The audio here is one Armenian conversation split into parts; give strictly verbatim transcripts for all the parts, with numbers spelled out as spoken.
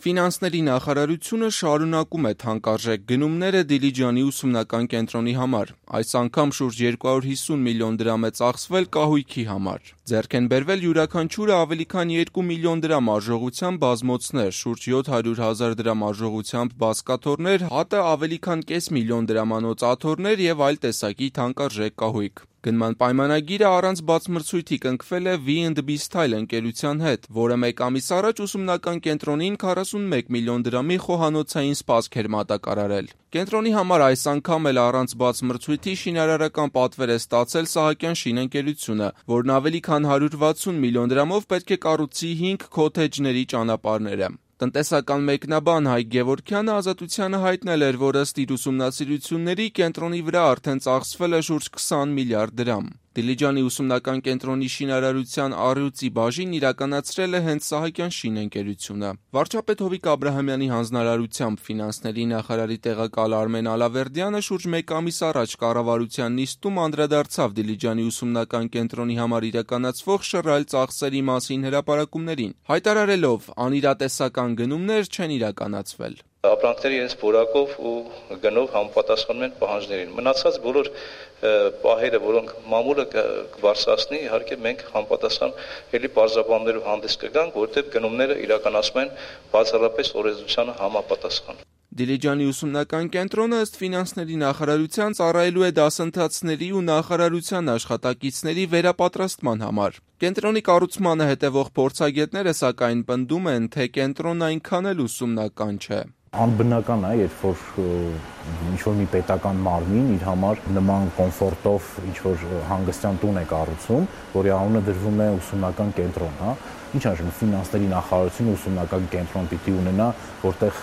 Ֆինանսների նախարարությունը շարունակում է թանկարժեք գնումները Դիլիջանի ուսումնական կենտրոնի համար։ Այս անգամ շուրջ երկու հարյուր հիսուն միլիոն դրամ է ծախսվել կահույքի համար։ Ձեռք են բերվել յուրաքանչյուրը ավելի քան երկու միլիոն դրամ արժողությամբ բազմոցներ, շուրջ յոթ հարյուր հազար դրամ արժողությամբ բազկաթոռներ, հատը ավելի քան կես միլիոն դրամանոց աթոռներ եւ այլ տեսակի թանկարժեք կահույք։ Գնման պայմանագիրը առանց բացմրցույթի կնքվել է V and B Style ընկերության հետ, որը մեկ ամիս առաջ ուսումնական կենտրոնին քառասունմեկ միլիոն դրամի խոհանոցային սպասք էր մատակարարել։ Կենտրոնի համար այս անգամ էլ առանց բացմրցույթի շինարարական պատվեր է ստացել Սահակյան շինընկերությունը, որն ավելի քան հարյուր վաթսուն միլիոն դրամով պետք է կառուցի հինգ քոթեջների ճանապարհները։ Տնտեսական մեկնաբան Հայկ Գևորգյանը Ազատությանը հայտնել էր, որ ըստ իր ուսումնասիրությունների կենտրոնի վրա արդեն ծախսվել է շուրջ քսան միլիարդ դրամ։ Դիլիջանի ուսումնական կենտրոնի շինարարության առյուծի բաժին իրականացրել է հենց Սահակյան շինընկերությունը։ Վարչապետ Հովիկ Աբրահամյանի հանձնարարությամբ ֆինանսների նախարարի տեղակալ Արմեն Ալավերդյանը շուրջ մեկ ամիս առաջ կառավարության նիստում անդրադարձավ Դիլիջանի ուսումնական կենտրոնի համար իրականացվող շռայլ ծախսերի մասին հրապարակումներին, հայտարարելով՝ անիրատեսական գնումներ չեն իրականացվել։ Ապրանքները իրենց որակով ու գնով համապատասխանում են պահանջներին։ Մնացած բոլոր պահերը, որոնք մամուլը կբարձրացնի, իհարկե մենք համապատասխան ելի պարզաբաններով հանդես կգանք, որովհետև գնումները իրականացում են բացառապես օրենսդրությանը համապատասխան։ Դիլիջանի ուսումնական կենտրոնը ըստ ֆինանսների նախարարության ծառայելու է դասընթացների ու նախարարության աշխատակիցների վերապատրաստման համար։ Կենտրոնի կառուցմանը հետևող փորձագետները սակայն պնդում են, թե կենտրոնն այնքան էլ ուսումնական չէ։ Անբնական է, երբ որ ինչ-որ մի պետական մարմին իր համար նման կոմֆորտով ինչ-որ հանգստյան տուն է կառուցում, որի անունը դրվում է ուսումնական կենտրոն, հա։ Ինչ արժեն ֆինանսների նախարարությունը ուսումնական կենտրոն պիտի ունենա, որտեղ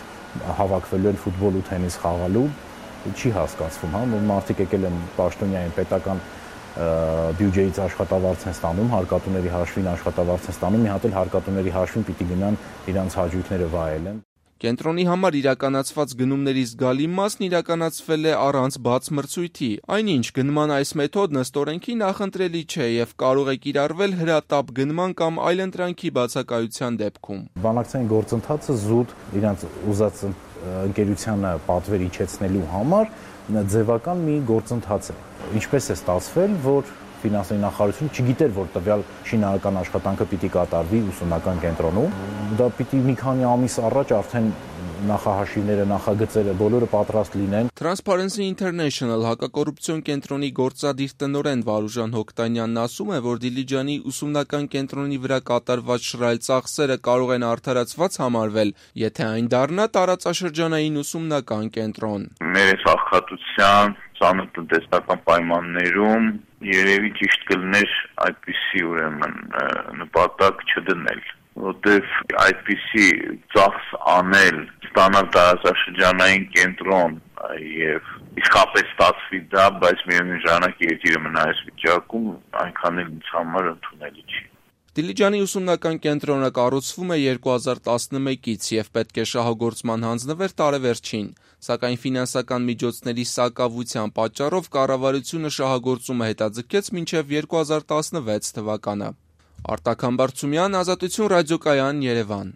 հավաքվելու են ֆուտբոլ ու թենիս խաղալու, չի հասկացվում, հա, մարդիկ եկել են պաշտոնյային պետական բյուջեից աշխատավարձ են ստանում, հարկատուների հաշվին աշխատավարձ են ստանում, մի հատ էլ հարկատուների հաշվին պիտի գնան իրանց հաճույքները վայելեն։ Կենտրոնի համար իրականացված գնումների զգալի մասն իրականացվել է առանց բացմրցույթի, այնինչ գնման այս մեթոդն ըստ օրենքի նախընտրելի չէ եւ կարող է կիրառվել հրատապ գնման կամ այլընտրանքի բացակայության դեպքում։ Բանակցային գործընթացը զուտ իրանց ուզած ընկերությանը պատվեր իջեցնելու համար ձևական մի գործընթաց է։ Ինչպես է ստացվել, որ ֆինանսների նախարարությունը չգիտեր, որ տվյալ շինարարական աշխատանքը պիտի կատարվի ուսումնական կենտրոնում։ Դա պիտի մի քանի ամիս առաջ արդեն նախահաշիվները, նախագծերը բոլորը պատրաստ լինեն։ Transparency International հակակոռուպցիոն կենտրոնի գործադիր տնօրեն Վարուժան Հոկտանյանն ասում է, որ Դիլիջանի ուսումնական կենտրոնի վրա կատարված շռայլ ծախսերը կարող են արդարացված համարվել, եթե այն դառնա տարածաշրջանային ուսումնական կենտրոն։ Մեր աղքատության ծանր տնտեսական պայմաններում երևի ճիշտ կլիներ այդպիսի ուրեմն նպատակ չդնել, որտեղ այդպիսի ծախս անել, ստանալ տարածաշրջանային կենտրոն եւ իսկապես ստացվի դա, բայց միևնույն ժամանակ երկիրը մնա այս վիճակում, այնքան էլ ինձ համար ընդունելի չի։ Դիլիջանի ուսումնական կենտրոնը կառուցվում է երկու հազար տասնմեկից եւ պետք է շահագործման հանձնվեր տարեվերջին, սակայն ֆինանսական միջոցների սակավության պատճառով կառավարությունը շահագործումը հետաձգեց մինչեւ երկու հազար տասնվեց թվականը։ Արտակ Համբարձումյան, Ազատություն ռադիոկայան, Երևան։